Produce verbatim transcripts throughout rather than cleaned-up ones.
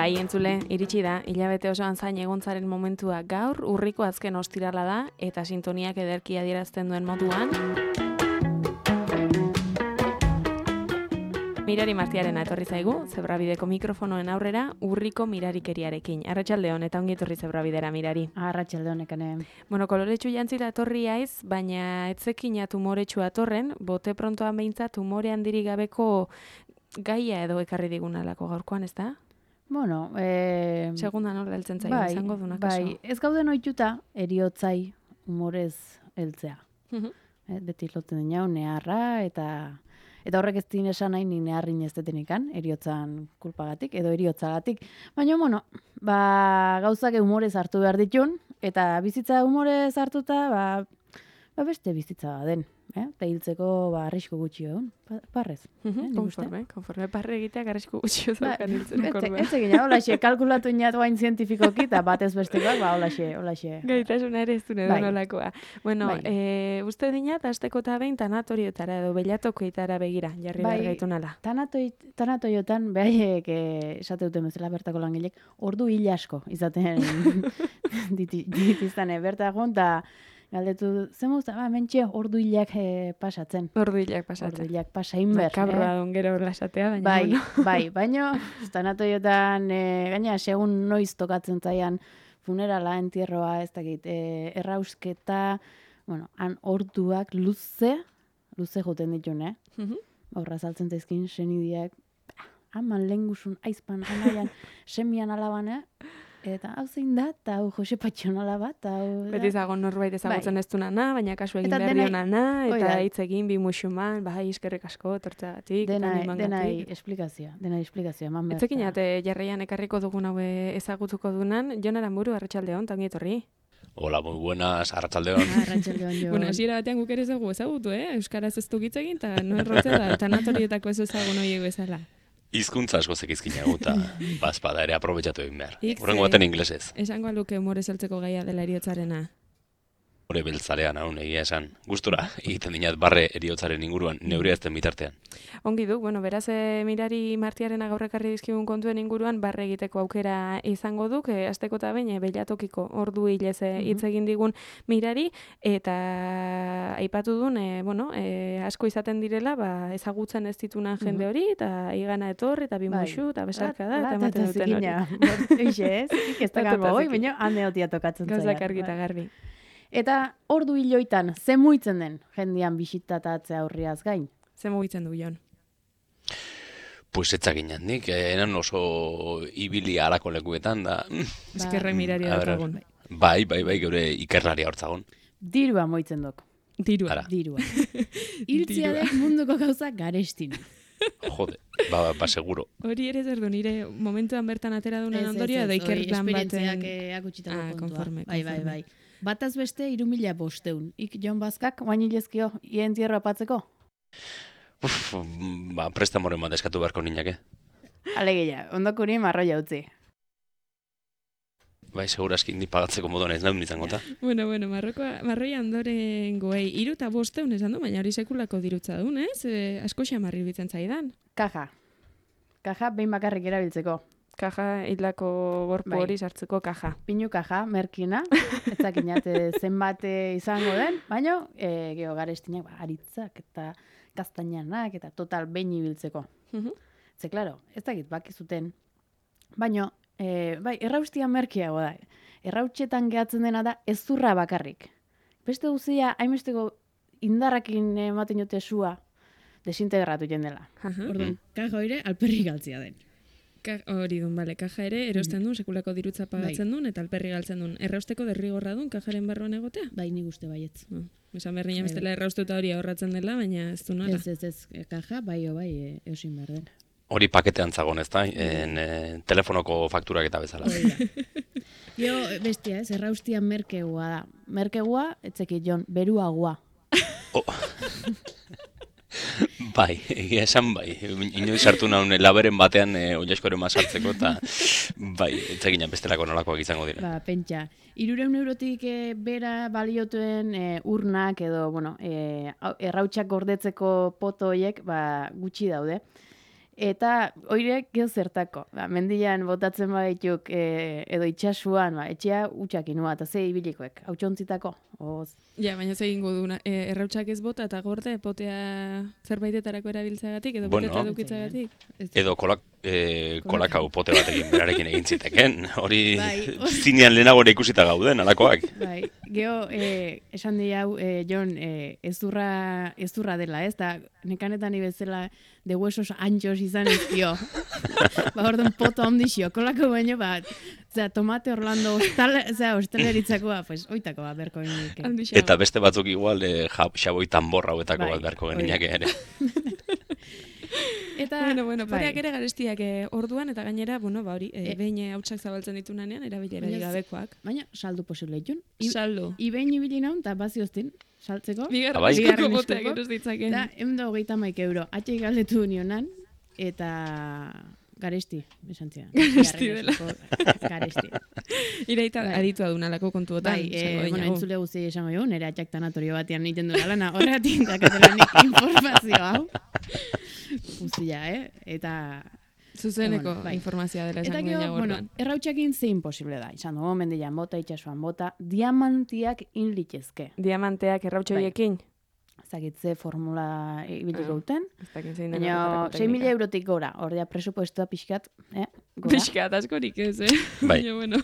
Bai, entzule, iritsi da, hilabete osoan zain egontzaren momentua gaur, urriko azken ostirala da, eta sintoniak ederki adierazten duen moduan. Mirari Martiarena etorri zaigu, Zebrabideko mikrofonoen aurrera, urriko mirarikeriarekin. Arratsaldeon eta ongi etorri Zebrabidera, Mirari. Arratsaldeon ekane. Bueno, koloretsu jantzita etorri haiz, baina etzekina tumoretsua atorren, bote prontoan behintzat tumore handirik gabeko gaia edo ekarri digunalako gaurkoan, ez da? Bueno, eh, segunda nola heltzen zaio, bai, izango duna kaso. Bai, ez gauden ohituta eriotzai humorez heltzea. Mhm. eh, beti lotzen dinau neharra eta eta horrek ez din esan nahi ni neharrin ez detenikan, eriotzan kulpagatik edo eriotzagatik. Baina bueno, ba gauzak humorez hartu behar ditun eta bizitza humorez hartuta, ba ba beste bizitza den, eh? Ta hiltzeko ba arrisku gutxi egon, parrez. Mhm, konforme, konforme parre egiteak arrisku gutxi zaukan hiltzeko orduan. Ez egin, holaxe, kalkulatu inat guain zientifikoki, eta batez bestekoak, ba, holaxe, holaxe. Gaitasuna ere ez dune Bai. nolakoa. Bueno, Bai. e, uste dinat, asteko eta behin tanatorioetara edo belatokoetara begira, jarri Bai. behar gaitu nala. Tanatoi, tanatoiotan, behaiek, eh, esate duten bezala bertako langilek, ordu hil asko izaten diti- ditiztane, bertagon, eta galdetu, zen mozta, ba, mentxe, ordu hilak eh, pasatzen. Ordu hilak Ordu pasatzen. hilak pasain ber. Makabroa duen gero lasatea, baina Bai, bueno. bai, baina tanatoiotan, e, gaina, segun noiz tokatzen zaian funerala, entierroa, ez dakit, e, errausketa, bueno, han orduak luze, luze joten ditun, eh? Mhm. Horra saltzen zaizkin senidiak, haman lengusun, aizpan, anaian, semian alaban, eh? Eta hau zein da, eta hau Jose Patxonala bat, eta hau... Beti zagon norbait ezagutzen Bai. ez duna, baina kasu egin Eta behar denai- diona, hoi eta da. hitz egin bi musuman, bai, eskerrik asko, tortzagatik, Denai, animangatik. denai esplikazioa, denai esplikazioa, eman behar. Etzekin ate jarraian ekarriko dugun haue ezagutuko dunan, Jon Aranburu, arratsaldeon, tangi etorri. Hola, muy buenas, arratsaldeon. Arratsaldeon jo. Bueno, hasiera batean guk ere ezagu ezagutu, eh? Euskaraz ez du hitz egin, eta no errotzea da, tanatorietako ez ezagun horiek bezala. Hizkuntza asko zekizkina guta, bazpada ere aprobetxatu egin behar. Ik, Horrengo ze- baten inglesez. Esango aluke humorez heltzeko gaia dela eriotzarena. Hore beltzalea naun egia esan. Gustura, egiten dinat barre eriotzaren inguruan, neurea ezten bitartean. Ongi du, bueno, beraz, e, Mirari Martiarena gaur ekarri dizkigun kontuen inguruan barre egiteko aukera izango duk, e, asteko eta behin, e, belatokiko ordu hilez e, hitz egin digun Mirari, eta aipatu duen, e, bueno, e, asko izaten direla, ba, ezagutzen ez ditunan jende hori, eta igana etorri, eta bimuxu, eta besarka da, eta ematen duten hori. Eixe ez, ik ez dakango hoi, baina hande hotia tokatzen zaian. Gauzak argi eta garbi. Eta ordu hiloitan, ze muitzen den jendian bisitatatzea aurriaz gain? Ze mugitzen du, Jon? Pues etzakinat nik, eh, enan oso ibili harako lekuetan da. Eskerre Mirari A ber, daukagun. Bai, bai, bai, geure ikerlaria hortzagon. Dirua moitzen dok, Dirua. Ara. dirua. Hiltzia Dirua. den munduko gauza garestin. Jode, ba, ba, seguro. Hori ere zer du, nire momentuan bertan atera dunen Ez, ez, ondorio, edo ez, iker hori lan baten... esperientziak eh, akutsitako Ah, kontua. konforme, Bai, bai, konforme. bai. Bataz beste hiru mila bosteun. Ik Jon Bazkak, guain hilezkio, ien tierra apatzeko? Uf, ba, prestamoren bat eskatu beharko ninake. Alegia, ondokuri marroia utzi. Bai, segurazki indi pagatzeko moduan ez nahi izango ta. Bueno, bueno, marrokoa, marroia ondoren goei, iru eta bosteun esan du, baina hori sekulako dirutza duen, ez? E, asko xamarri bitzen zaidan. Kaja. Kaja behin bakarrik erabiltzeko. Kaja hildako gorpu Bai. hori sartzeko kaja. Pinu kaja, merkina, etzakinat eh, zenbat eh, izango den, baina e, geho garestinak, ba, aritzak eta gaztainanak eta total behin ibiltzeko. Mhm. Ze, klaro, ez dakit bakizuten, baina, e, bai, erraustian merkiago da. Errautxetan gehatzen dena da ezurra bakarrik. Beste guzia, hainbesteko indarrakin ematen jote sua, desintegratu jendela. Aha. Orduan, kaja hoire alperri galtzia den. Ka- hori dun, bale, kaja ere erosten duen, sekulako dirutza pagatzen duen, eta alperri galtzen duen. Errausteko derrigorra duen, kajaren barruan egotea? Bai, nik uste baietz. No. Esan behar nina bestela erraustuta hori ahorratzen dela, baina ez du nola. Ez, ez, ez, e, kaja, bai, o bai, e, eusin behar den. Hori paketean zagon, ez da? En, eh, telefonoko fakturak eta bezala. Hori da. Jo, bestia, ez, erraustian merkegua da. Merkegua, etzeki, Jon, beruagua. Oh. Bai, egia esan bai. Inoiz sartu naun laberen batean e, oiaskoren sartzeko eta bai, etzeginan bestelako nolakoak izango dira. Ba, pentsa. Irureun eurotik e, bera baliotuen e, urnak edo, bueno, e, errautsak gordetzeko poto hoiek, ba, gutxi daude. Eta oirek gero zertako. Ba, mendian botatzen badituk e, edo itxasuan, ba, etxea utxakinua, eta ze ibilikoek, hautsuntzitako. Oz. Ja, baina ze egingo duna, e, errautsak ez bota eta gorde potea zerbaitetarako erabiltzagatik edo Bueno. beteta edukitzagatik. Edo kolak, e, kolakau pote batekin berarekin egin ziteken. Hori Bai. zinean lehenago ere ikusita gauden, alakoak. Bai, geho, e, esan di hau, e, Jon, e, ezurra, ezurra dela, ez? Da, nekanetan ibezela de huesos anchos izan ezkio. Ba, orduan poto handixio, kolako baino, ba, zera, tomate Orlando ostal, zera, ostaleritzako, ba, pues, oitako, ba, berko genik. Handixago. Eta beste batzuk igual e, ja, xaboi tanborra hauetako Bai, bat beharko hori. geninak ere. Eta, Bueno, bueno, bai, poteak ere garestiak eh, orduan, eta gainera, bueno, ba hori, eh, E- behin eh, hautsak zabaltzen ditunanean, erabilera Baina z- gabekoak. baina saldu posible itun. I, Saldo. Ibein ibili naun, eta bazioztin, saltzeko. Bigarren Abai. bigarren poteak eskuko. eros ditzaken. Eta, emdo hogeita maik euro. Atxe galdetu nionan, eta garesti, esan zidan. Garesti Bigarren dela. eskuko Garesti. Iraita Bai. aditua dunalako kontuotan. Bai, e, esango bueno, dinagu. entzule guzti esango jo, nire atxak tanatorio batean egiten du lana, horregatik dakatelanik informazio hau. Guztia, eh? Eta Zuzeneko Bueno, bai. informazioa dela Eta esango gero, dinagu bueno, orduan. errautxakin ze imposible da. Izan dugu, mendian bota, itxasuan bota, diamantiak in litezke. Diamanteak errautxoiekin. Zagitze formula ibiliko Ah. duten. Ez dakit zein den Baina horretarako sei mila teknika. eurotik gora, ordea presupuestua pixkat, eh? Gora. Pixkat askorik ez, eh? Bai. Baina, bueno.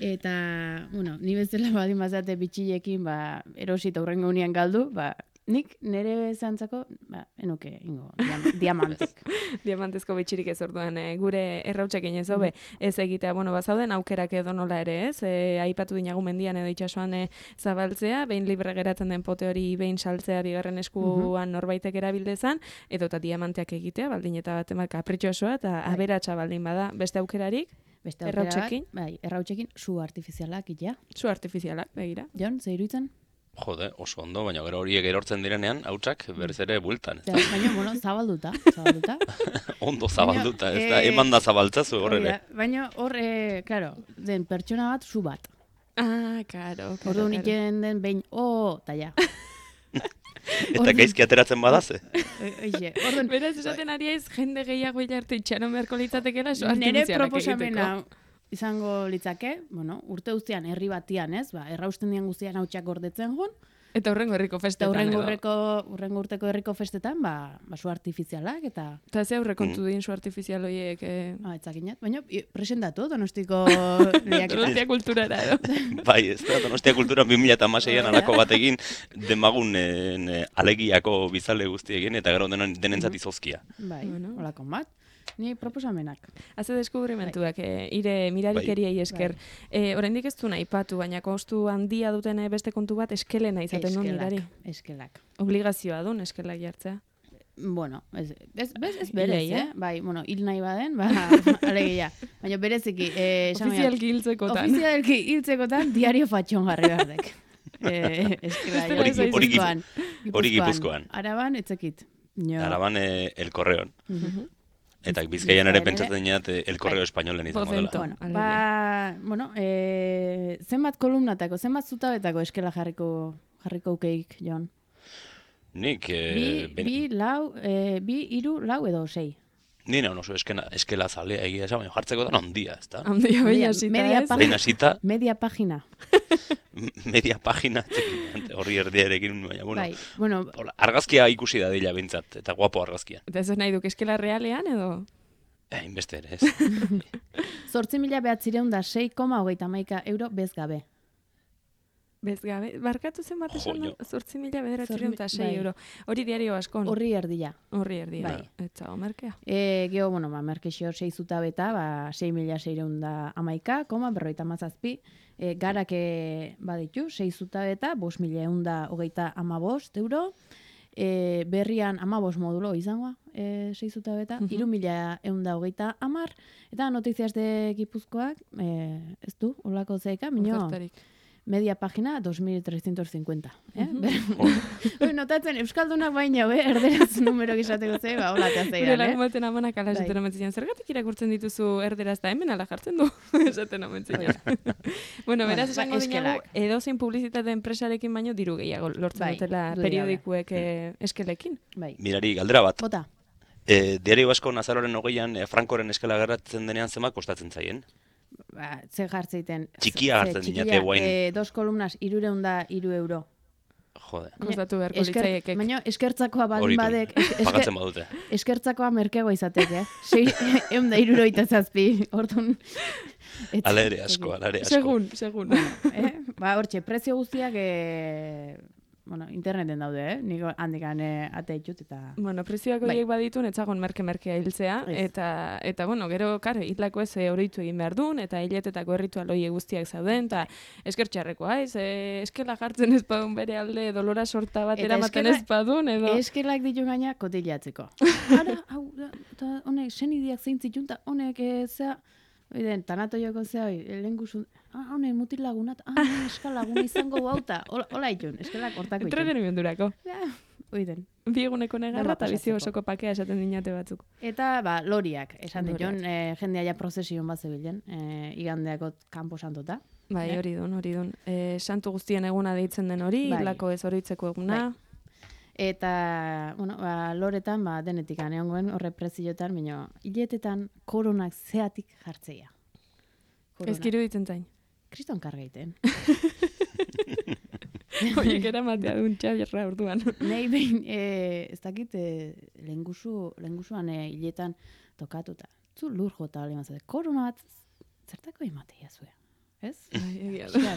Eta, bueno, ni bezala badin bazate bitxilekin, ba, erosit aurrengo unian galdu, ba, nik nire zantzako, ba, enuke, ingo, diam, diamantek. Diamantezko bitxirik ez orduan, eh, gure errautxekin ez hobe, ez egitea, bueno, bazauden aukerak edo nola ere, ez? E, aipatu dinagu mendian edo itxasuan eh, zabaltzea, behin libre geratzen den pote hori behin saltzea bigarren eskuan norbaitek erabildezan, edo eta diamanteak egitea, baldin eta bat emat kapritxosoa, eta Bai. aberatsa baldin bada, beste aukerarik, Beste aukera bat, Errautsekin? bai, errautsekin su artifizialak, ja. zu artifizialak, begira. Jon, ze iruditzen? Jode, oso ondo, baina gero horiek erortzen direnean, hautsak berriz ere bueltan. ez da? Ja, baina, bueno, zabalduta, zabalduta. Ondo zabalduta, ez da, eh, eman da zabaltzazu hor Hori ere. da, baina hor, e, claro, den pertsona bat, su bat. Ah, karo, karo, Ordu karo. niken den behin, oh, eta ja. Eta gaizki ateratzen badaze. Oixe, orduan, Beraz, esaten ari ez, jende gehiago hilarte itxaron beharko litzatekela, zu nire artifizialak proposamena egiteko. izango litzake, bueno, urte guztian herri batian, ez? Ba, errausten dian guztian hautsak gordetzen jon, Eta horrengo herriko eta festetan urrengo edo. urreko, urrengo urteko herriko festetan, ba, ba su artifizialak, eta, Eta ze Mm. aurrekontu din zu artifizial horiek, eh, ba, etzakinat, baina i- presentatu, donostiko lehiaketa. Donostia kulturara edo. Bai, ez da, Donostia Kultura bi mila hamaseian alako batekin demagunen eh, alegiako bizale guztiekin, eta gero denon, denentzat izozkia. Bai, Bueno. holakon bat. Ni proposamenak. Haze deskubrimentuak, eh, ire mirarikeriei esker. Eh, oraindik ez du nahi patu, baina kostu handia duten eh, beste kontu bat eskelena izaten du mirari. Eskelak. Obligazioa dun eskelak jartzea. Bueno, ez, ez, ez, ez berez, Hilei, eh? eh? Bai, bueno, hil nahi baden, ba, alegia. Baina bereziki, eh, esan behar- Ofizialki hiltzekotan. Ofizialki hiltzekotan diario fatxon jarri behardek. eh, eskela, Bestela ja, ez zaizu. Hori Gipu- Gipuzkoan. hori Gipuzkoan. Araban, etzekit. No. Araban eh, El Correon. Mhm. Eta Bizkaian ere Bizkaian pentsatzen dinat eh, El Correo Espainolen izango dela. Bozento. Bueno, Alegia. ba, bueno, eh, zenbat kolumnatako, zenbat zutabetako eskela jarriko jarriko ukeik, Jon? Nik, Bi, eh, ben- bi, lau, eh, bi, iru, lau edo sei. ni nahi oso eskena, eskela zalea egia esan, baina jartzeko da handia, ez da? Handia behin Media- hasita, media ez? pa- Behin hasita, Media pagina. media pagina, txekin, horri erdiarekin, baina, bueno, Bai, bueno, hola, argazkia ikusi da dila bintzat, eta guapo argazkia. Eta ez nahi duk eskela realean edo? Eh, inbeste ere, ez. zortzi mila behatzireun da sei koma hogeita hamaika euro bez gabe. Bez gabe, barkatu zen bat esan Jo, da, zortzi mila bederatzireun eta sei bai. euro. Hori diario askon. Horri erdila. Horri erdia. Bai. Eta omerkea. E, geho, bueno, ba, merkexio sei zutabeta, ba, sei mila seireun da amaika, koma, berroita mazazpi, e, garake baditu, sei zutabeta, bos mila eun da hogeita amabost euro, e, berrian amabos modulo izangoa, e, sei zutabeta, Mhm. iru mila eun da hogeita amar, eta notiziaz de Gipuzkoak, e, ez du, holako zeika, minio, Ofertarik. media pagina dos mil trescientos cincuenta. Eh? Mhm. Ber- Notatzen, Euskaldunak baina, be, erderaz numero gizateko ze, ba, hola eta Gure zeidan, eh? lagun baten amanak ala Bai. esaten omen zian, zergatik irakurtzen dituzu erderaz da hemen ala jartzen du, esaten omen zian. bueno, beraz Bueno, esango ba, dinagu, eskelak. edozein publizitate enpresarekin baino diru gehiago lortzen Bai, dutela dudarik gabe. periodikuek eh, eskelekin. Bai. Mirari, galdera bat, Bota. E, Diario Basko azaroaren hogeian e, Frankoren eskala gerratzen denean zema kostatzen zaien? Ba, ze jartzeiten. Txikia hartzen dinate guain. E, dos kolumnas, irureun da iru euro. Jode. Kostatu beharko litzaiekek. Baina eskertzakoa baldin Horitu, badek. es- pagatzen badute. Eskertzakoa merkeagoa izatek, eh? Sei, eun da iruroita zazpi, orduan. ez- Ala ere asko, ala ere asko. Segun, segun. eh? Ba, hortxe, prezio guztiak eh, bueno, interneten daude, eh? Niko handikan eh, ate ditut eta... Bueno, prezioak Bai. horiek baditun, etzagon merke-merkea hiltzea, Ez. eta, eta bueno, gero, kare, hitlako ez horitu egin behar duen, eta hiletetako erritual horiek guztiak zauden, eta eskertxarrekoa, ez, e, eskela jartzen ez badun bere alde, dolora sorta bat Eta eramaten eskela- ez badun, edo... Eskelak ditu gaina kotilatzeko. Ara, hau, da, eta honek, senideak zein zitun, eta honek, e, zea, oiden, tanato joko zea, lehen guzu, ah, honek mutil lagunat, ah, honek eskalaguna izango bauta, hola itun, eskelak hortako itun. Entretenimendurako. Ja, oiden. Bi eguneko negarra Dena eta bizi pasatzeko. osoko pakea esaten dinate batzuk. Eta, ba, loriak, esan Loriak. ditun, e, jendea ja prozesion bat zebilen, e, igandeako kanpo santota. Bai, Eh? hori dun, hori dun. E, santu guztien eguna deitzen den hori, Bai. hilako ez horitzeko eguna. Eta, bueno, ba, loretan, ba, denetik aneongoen, horre prezioetan, baina hiletetan koronak zeatik jartzeia. Korona. Ezkiru ditzen zain. Kriston kargeiten. Horiek eramatea duen txabierra orduan. Nei behin, e, ez dakit, e, lehengusu, lehengusuan e, hiletan tokatuta. Zu lur jota bali mazate. Korona bat, zertako ematea zuen. Ez? Bai, egia da. Osea,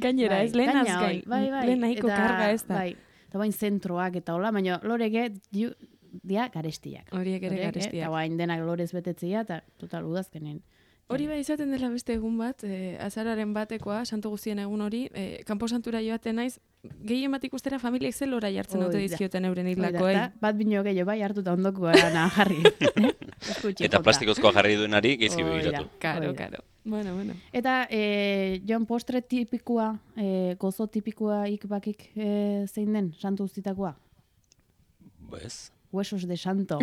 Gainera, ez lehen gaina azgain. hoi, bai, bai. Lehen nahiko Eta, karga ez da. Bai, eta bain zentroak eta hola, baina lorege diu, dia garestiak. Horiek ere Horiek, eh, garestiak. Eta bain denak lorez betetzea, eta total udazkenen. Hori bai izaten dela beste egun bat, e, azararen batekoa, santu guztien egun hori, e, kanpo santura joaten naiz, gehien bat ikustera familiek zel ora jartzen Hoi ote da. dizkioten euren Hoi da, hilakoei. eta bat bino gehiago bai hartuta ondoko erana jarri. Eh? Eskutxi Eta jota. plastikozkoa jarri duenari gezi Hoi da. begiratu. Karo, Hoi da. karo. Bueno, bueno. Eta e, Jon postre tipikoa, e, gozo tipikoa ikbakik e, zein den, santu guztitakoa? Bez. Huesos de santo.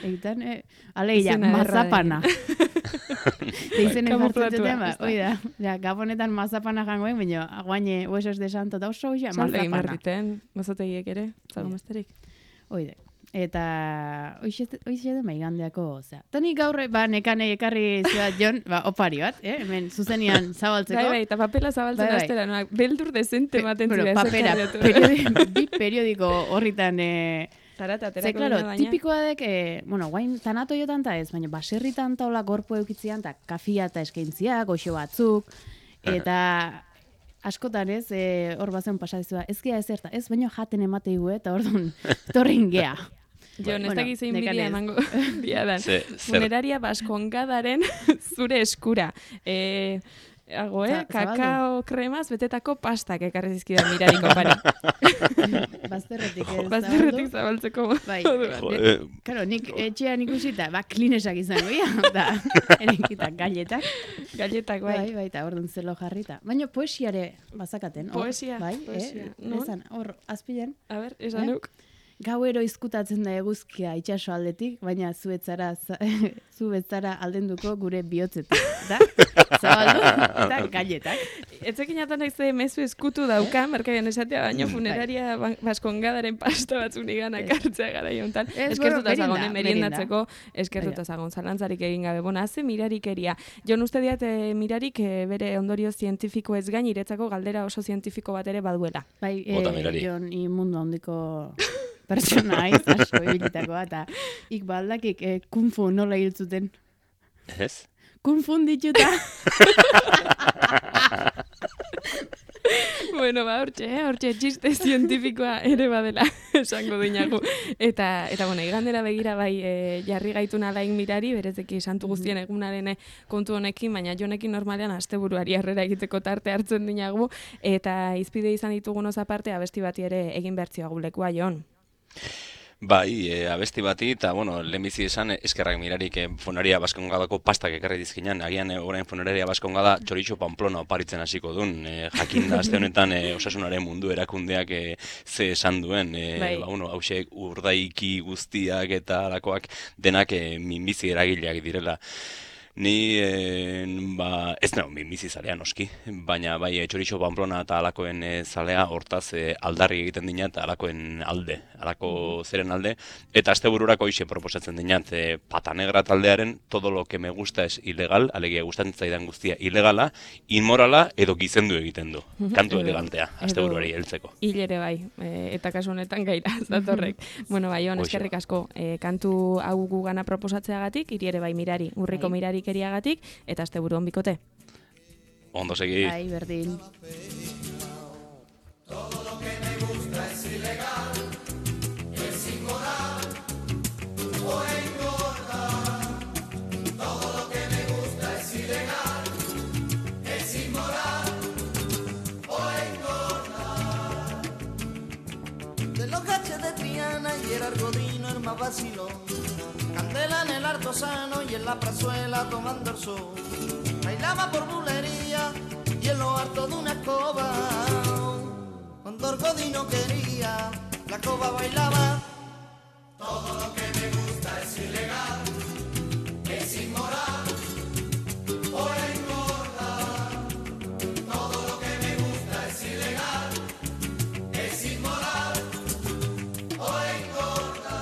Egiten, e, alegia, Izena ederra mazapana. Eizen Kamuflatua, enfartzatzen ba, ez da. hoi da. Ja, gabonetan mazapana jangoen, baina aguaine huesos de santo da oso ja, Salde egin behar mazapana. diten, gozotegiek ere, zago Bai. besterik. Hoi da. Eta hoize den maigandeako, osea. Tani gaur ba nekane ekarri zua Jon, ba opari bat, eh? Hemen zuzenian zabaltzeko. Bai, bai, eta papela zabaltzen Bai, bai. astera, noak, beldur dezente ematen Bueno, zira. papera, periodi, bi periodiko horritan eh, Zarata, ze, aterako claro, dira baina. tipikoa dek, eh, bueno, guain tanato jotan ta ez, baina baserritan taula gorpu eukitzian, eta kafia eta eskaintzia, goxo batzuk, eta askotan ez, eh, hor bazen pasazioa, ez gea ez erta, ez baino jaten emateigu, eta orduan, torrin gea. Jon, ez Bueno, dakiz zein nekanez. bidea emango diadan. Ze, zer, Funeraria baskongadaren zure eskura. E, Hago, eh? Za- zabaldu. Kakao kremaz betetako pastak ekarri zizkidan mirariko pari. Bazterretik ez. Bazterretik zabaltzeko Bai. moduan. jo, eh, Karo, nik etxean ikusita, ba, klinesak izango, ia, eta erekitak galletak. Galletak, bai. Bai, bai, eta orduan zelo jarrita. Baina poesiare bazakaten. hor, Poesia, bai, poesia. Eh? Non? Esan, hor, azpilen, A ber, esan Eh? nuk. gauero izkutatzen da eguzkia itxaso aldetik, baina zuetzara, za- zuetzara aldenduko gure bihotzetik. Da? Zabaldu, eta galletak. Etzekin atan naiz mezu eskutu dauka, merkaian esatea, baina Bai. funeraria ba- baskongadaren pasta batzuk nigan akartzea gara jontan. Ez, Eskertuta bueno, zagon, merienda, eh, meriendatzeko, eskertuta zagon, zalantzarik egin gabe. Bona, haze mirarikeria. Jon uste diat, eh, mirarik eh, bere ondorio zientifiko ez gain, iretzako galdera oso zientifiko bat ere baduela. Bai, Bota, eh, mirari. Jon, imundo handiko pertsona aiz, asko ibilitakoa, eta ik baldakik eh, kung fu nola hil zuten. ez? Kung fu dituta. Bueno, ba, hortxe, eh? hortxe txiste zientifikoa ere badela esango dinagu. Eta, eta bueno, igandera begira bai e, jarri gaitun alain mirari, berezeki santu guztien egunaren eh, kontu honekin, baina jonekin normalean asteburuari harrera egiteko tarte hartzen dinagu, eta izpide izan ditugunez aparte abesti bati ere egin bertzioa gulekua, Jon. Bai, e, abesti bati, eta, bueno, lehenbizi esan, eh, eskerrak mirarik e, Funeraria Baskongadako pastak ekarri dizkinan, agian e, orain Funeraria Baskongada txoritxo Pamplona oparitzen hasiko duen, e, jakinda aste honetan e, osasunaren mundu erakundeak e, ze esan duen, e, Bai. ba, bueno, hausek urdaiki guztiak eta alakoak denak e, minbizi eragileak direla. Ni, e, ba, ez nago minbizi zalea noski, baina bai txoritxo Pamplona eta alakoen e, zalea, hortaz e, aldarri egiten dina eta alakoen alde, alako zeren alde, eta astebururako hoxe proposatzen dinat, e, Pata Negra taldearen todo lo que me gusta es ilegal, alegia gustatzen zaidan guztia ilegala, inmorala edo gizendu egiten du. Kantu elegantea, asteburuari heltzeko. Hil ere bai, e, eta kasu honetan gaira, zatorrek. Bueno, bai, hon, eskerrik asko, e, kantu hau gugana proposatzeagatik, hiri ere bai mirari, urriko mirari keriagatik, eta asteburu on bikote. Ondo segi. Bai, berdin. Todo lo que me gusta es ilegal, es inmoral o engorda. Todo lo que me gusta es ilegal, es inmoral o engorda. De los gaches de Triana y el Argodino el más vacilón, Candela en el Artosano y en la Prazuela tomando el sol. Bailaba por bulería y en lo harto de una escoba. Cuando Argodino quería, la escoba bailaba. Todo lo que me gusta es ilegal, es inmoral o engorda. Todo lo que me gusta es ilegal, es inmoral o engorda.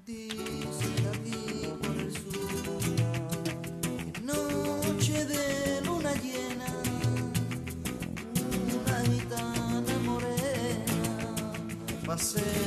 Dice aquí por el sur, en noche de luna llena, una gitana morena pasea